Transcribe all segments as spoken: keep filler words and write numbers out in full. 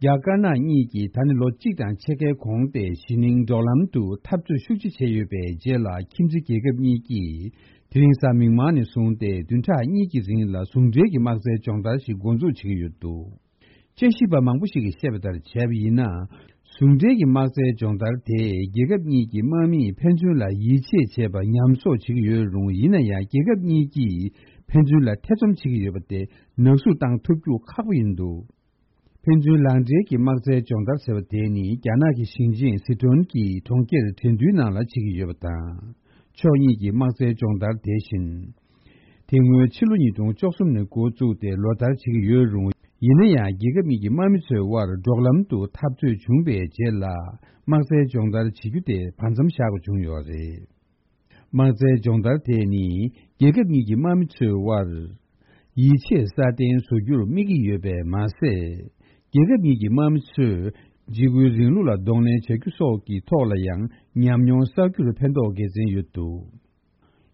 རྒྱ་དཀར་ནག་གཉིས་ཀྱིས་ད་ནི་ལོ་གཅིག་དང་ཕྱེད་ཀའི་གོང་སྟེ་གཞེས་ནིང་འབྲོག་ལམ་དུ་འཐབ་རྩོད་ཤུགས་ཆེ་བྱས་ཡོད་པའི་རྗེས་ལ། ཁྱིམ་མཚེས་རྒྱལ་ཁབ་གཉིས་ཀྱིས་དེ་རིང་གཟའ་མིག་དམར་ནས་བཟུང་སྟེ་བདུན་ཕྲག་གཉིས་ཀྱི་རིང་ལ་ཟུང་འབྲེལ་གྱི་དམག་རྩལ་སྦྱོང་བརྡར་ཞིག་འགོ་འཛུགས་བྱེད་ཀྱི་ཡོད་འདུག་དཔྱད་ཞིབ་པ་མང་པོ་ཞིག་གིས་བཤད་པ་ལྟར་བྱས་པ་ཡིན་ན། ཟུང་འབྲེལ་གྱི་དམག་རྩལ་སྦྱོང་བརྡར་དེས་རྒྱལ་ཁབ་གཉིས་ཀྱི་དམག་མིས་ཕན་ཚུན་ལ་ཡིད་ཆེས་བྱེད་པར་ཉམས་གསོ་བྱེད་ཀྱི་ཡོད་རུང་། ཡིན་ན་ཡང་རྒྱལ་ཁབ་གཉིས་ཀྱིས་ཕན་ཚུན་ལ་ཐེ་ཚོམ་བྱེད་ཀྱི་ཡོད་པ་དེ་ནག་བསུབ་བཏང་ཐུབ་རྒྱུ་ཁག་པོ་ཡིན་འདུག་ཕན་ཚུན་ལག་འབྲེལ་གྱི་དམག་རྩལ་སྦྱོང་བརྡར་ཟེར་བ་དེ་ནི་རྒྱ་ནག་གི་ཞིང་ཆེན་སི་ཁྲོན་གྱི་གྲོང་ཁྱེར་ཁྲེང་ཏུའུ་ནང་ལ་བྱེད་ཀྱི་ཡོད་པ་དང་། ཕྱོགས་གཉིས་ཀྱི་དམག་རྩལ་སྦྱོང་བརྡར་དེ་བཞིན། དེ་སྔོན་ཕྱི་ལོ་ཉིས་སྟོང་བཅུ་གསུམ་ནས་འགོ་བཙུགས་ཏེ་ལོ་ལྟར་བྱེད་ཀྱི་ཡོད་རུང་། ཡིན་ན་ཡང་རྒྱལ་ཁབ་གཉིས་ཀྱི་དམག་མི་ཚོའི་དབར་འབྲོག་ལམ་དུ་འཐབ་རྩོད་བྱུང་བའི་རྗེས་ལ། དམག་རྩལ་སྦྱོང་བརྡར་བྱེད་རྒྱུ་དེ་བར་མཚམས་བཞག་དགོས་བྱུང་ཡོད་རེད། དམག་རྩལ་སྦྱོང་བརྡར་དེ་ནི་རྒྱལ་ཁབ་གཉིས་ཀྱི་དམག་མི་ཚོའི་དབར་ཡིད་ཆེས་སྲ་བརྟན་བཟོ་རྒྱུར་དམིགས་ཀྱི་ཡོད་པས་མ་ཟད། རྒྱལ་ཁབ་གཉིས་ཀྱི་དམག་མི་ཚོས་འཇིགས་སྐུལ་རིང་ལུགས་ལ་གདོང་ལེན་བྱ་རྒྱུ་སོགས་ཀྱི་ཐོག་ལ་ཡང་ཉམས་མྱོང་བསགས་རྒྱུར་ཕན་ཐོགས་དགེ་མཚན་ཡོད་འདུག་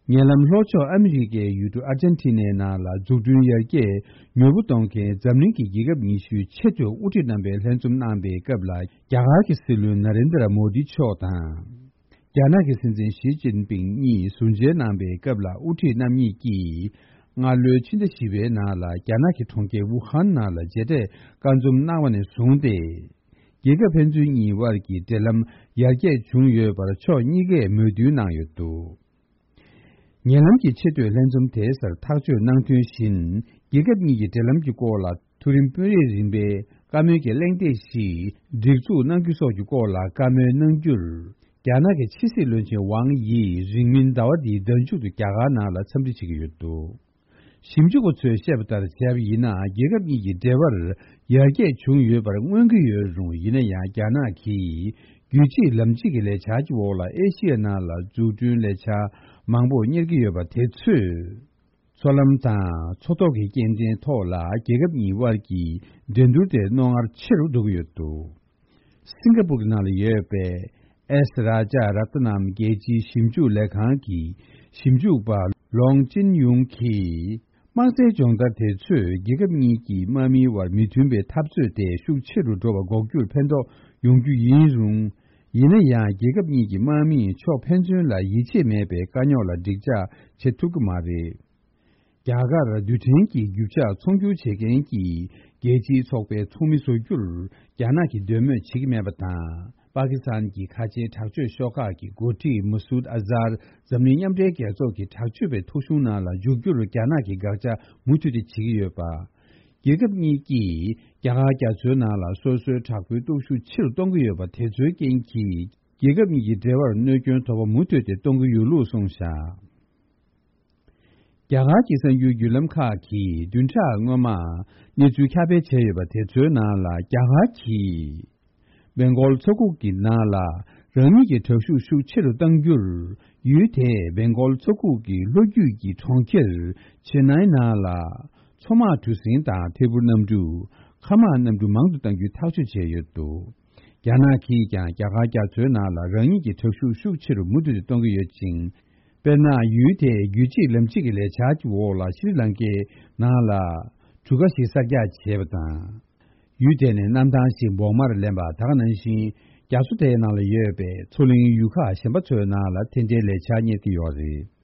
ཉེ་ལམ་ལྷོ་ཕྱོགས་ཨ་མི་རི་ཀའི་ཡུལ་གྲུ་ཨར་ཇན་ཊི་ནའི་ནང་ལ་འཛུགས་སྐྲུན་ཡར་རྒྱས་མྱུར་པོ་གཏོང་མཁན་འཛམ་གླིང་གི་རྒྱལ་ཁབ་ཉི་ཤུའི་ཆེས་མཐོའི་དབུ་ཁྲིད་རྣམ་པའི་ལྷན་འཛོམས་གནང་པའི་སྐབས་ལ། རྒྱ་གར་གྱི་སྲིད་བློན་ན་རེན་དྲ་མོ་དི་མཆོག་དང་། རྒྱ་ནག་གི་སྲིད་འཛིན་ཞི་ཅིན་ཕིང་གཉིས་ཟུར་མཇལ་གནང་པའི་སྐབས་ལ། དབུ་ཁྲིད་རྣམ་གཉིས་ཀྱིས་སྔ་ལོའི་ཕྱི་ཟླ་བཞི་པའི་ནང་ལ་རྒྱ་ནག་གི་གྲོང་ཁྱེར་ཝུ་ཧན་ནང་ལ་མཇལ་འཕྲད་བཀའ་འཛོམས་གནང་བ་ནས་བཟུང་སྟེ། རྒྱལ་ཁབ་ཕན་ཚུན་གཉིས་དབར་གྱི་འབྲེལ་ལམ་ཡར་རྒྱས་བྱུང་ཡོད་པར་ཕྱོགས་གཉིས་ཀས་མོས་མཐུན་གནང་ཡོད་འདུག་ཉེ་ལམ་གྱི་ཆེས་མཐོའི་ལྷན་འཛོམས་དེའི་སར་ཐག་གཅོད་གནང་དོན་བཞིན། རྒྱལ་ཁབ་གཉིས་ཀྱི་འབྲེལ་ལམ་གྱི་སྐོར་ལ་མཐོ་རིམ་དཔོན་རིགས་རིམ་པའི་བཀའ་མོལ་གྱི་གླེང་སྟེགས་ཤིག་སྒྲིག་འཛུགས་གནང་རྒྱུ་སོགས་ཀྱི་སྐོར་ལ་བཀའ་མོལ་གནང་རྒྱུར། རྒྱ་ནག་གི་ཕྱི་སྲིད་བློན་ཆེན་ཝང་ཡིས་རིང་མིན་ཟླ་བ་འདིའི་ཟླ་མཇུག་ཏུ་རྒྱ་གར་ནང་ལ་འཚམས་འདྲི་བྱེད་ཀྱི་ཡོད་འདུག་ཞིབ་འཇུག་པ་ཚོས་བཤད་པ་ལྟར་བྱས་པ་ཡིན་ན། རྒྱལ་ཁབ་གཉིས་ཀྱི་འབྲེལ་བར་ཡར་རྒྱས་བྱུང་ཡོད་པར་མངོན་གྱི་ཡོད་རུང་། ཡིན་ན་ཡང་རྒྱ་ནག་གིས་རྒྱུད་གཅིག་ལམ་གཅིག་གི་ལས་འཆར་གྱི་འོག་ལ་ཨེ་ཤི་ཡ་ནང་ལ་འཛུགས་སྐྲུན་ལས་འཆར་མང་པོ་གཉེར་གྱི་ཡོད་པ་དེ་ཚོས། མཚོ་ལམ་དང་མཚོ་ཐོག་གི་སྐྱེལ་འདྲེན་ཐོག་ལ་རྒྱལ་ཁབ་གཉིས་དབར་གྱི་འགྲན་བསྡུར་དེ་རྣོ་ངར་ཆེ་རུ་འགྲོ་གི་ཡོད་འདུག་སིང་ག་པུར་གྱི་ནང་ལ་ཡོད་པའི་ཨེས་རཱ་ཇཱ་ར་ཏ་ནམ་རྒྱལ་སྤྱིའི་ཞིབ་འཇུག་ལས་ཁང་གི་ཞིབ་འཇུག་པ་ལོང་ཅིན་ཡུང་གིས། དམག་རྩལ་སྦྱོང་བརྡར་དེ་ཚོས་རྒྱལ་ཁབ་གཉིས་ཀྱི་དམག་མིའི་དབར་མི་མཐུན་པའི་འཐབ་རྩོད་དེ་ཤུགས་ཆེ་རུ་འགྲོ་བ་འགོག་རྒྱུར་ཕན་ཐོགས་ཡོང་རྒྱུ་ཡིན་རུང་། ཡིན་ན་ཡང་རྒྱལ་ཁབ་གཉིས་ཀྱི་དམག་མིས་ཕྱོགས་ཕན་ཚུན་ལ་ཡིད་ཆེས་མེད་པའི་དཀའ་རྙོག་ལ་འགྲིག་འཇགས་བྱེད་ཐུབ་ཀྱི་མ་རེད། རྒྱ་གར་རྡུལ་ཕྲན་གྱི་རྒྱུ་ཆ་ཚོང་སྒྱུར་བྱེད་མཁན་གྱི་རྒྱལ་སྤྱིའི་ཚོགས་པའི་ཚོགས་མི་བཟོ་རྒྱུར་རྒྱ་ནག་གིས་འདོད་མོས་བྱེད་ཀྱི་མེད་པ་དང་། པ་ཀི་སི་ཐན་གྱི་ཁ་ཆེའི་དྲག་སྤྱོད་ཤོག་ཁག་གི་འགོ་ཁྲིད་མ་སུད་ཨ་ཛར་འཛམ་གླིང་མཉམ་འབྲེལ་རྒྱལ་ཚོགས་ཀྱི་དྲག་སྤྱོད་པའི་ཐོ་གཞུང་ནང་ལ་འཇུག་རྒྱུར་རྒྱ་ནག་གིས་དགག་བྱ་མུ་མཐུད་དེ་བྱེད་ཀྱི་ཡོད་པ། རྒྱལ་ཁབ་གཉིས་ཀྱིས་རྒྱ་གར་རྒྱ་མཚོའི་ནང་ལ་སོ་སོའི་དྲག་པོའི་སྟོབས་ཤུགས་ཆེ་རུ་གཏོང་གི་ཡོད་པ་དེ་ཚོའི་རྐྱེན་གྱིས། རྒྱལ་ཁབ་གཉིས་ཀྱི་འབྲེལ་བར་གནོད་སྐྱོན་དོ་ཕོག་མུ་མཐུད་དེ་གཏོང་གི་ཡོད་ལུགས་གསུངས་བཞག་རྒྱ་གར་གྱི་གསར་འགྱུར་བརྒྱུད་ལམ་ཁག་གིས་བདུན་ཕྲག་སྔོན་མ་གནས་ཚུལ་ཁྱབ་སྤེལ་བྱས་ཡོད་པ་དེ་ཚོའི་ནང་ལ། རྒྱ་གར་གྱིས་བེང་གོལ་མཚོ་ཁུག་གི་ནང་ལ་རང་ཉིད་ཀྱི་དྲག་ཤུགས་ཤུགས་ཆེ་རུ་གཏང་རྒྱུར། ཡུལ་དེས་བེང་གོལ་མཚོ་ཁུག་གི་ལྷོ་རྒྱུད་ཀྱི་གྲོང་ཁྱེར་ཆེ་ནའི་ནང་ལ། མཚོ་དམག་གྲུ་གཟིངས་དང་ཐད་འཕུར་གནམ་གྲུ། མཁའ་དམག་གནམ་གྲུ་མང་དུ་གཏང་རྒྱུའི་ཐག་གཅོད་བྱས་ཡོད་འདུག་རྒྱ་ནག་གིས་ཀྱང་རྒྱ་གར་རྒྱ་མཚོའི་ནང་ལ་རང་ཉིད་ཀྱི་དྲག་ཤུགས་ཤུགས་ཆེ་རུ་མུ་མཐུད་དུ་གཏོང་གི་ཡོད་ཅིང་། དཔེར་ན། ཡུལ་དེའི་རྒྱུད་གཅིག་ལམ་གཅིག་གི་ལས་འཆར་གྱི་འོག་ལ་ཤྲི་ལང་ཀའི་ནང་ལ་གྲུ་ཁ་ཞིག་གསར་རྒྱག་བྱས་པ་དང་། ཡུལ་དེ་ནས་གནམ་ཐང་ཞིག་བོགས་མར་ལེན་པ། ད་ག་ནང་བཞིན་རྒྱ་མཚོ་དེའི་ནང་ལ་ཡོད་པའི་མཚོ་གླིང་ཡུལ་ཁག་གཞན་པ་ཚོའི་ནང་ལ་དེ་འདྲའི་ལས་འཆར་གཉེར་གྱི་ཡོད་རེད།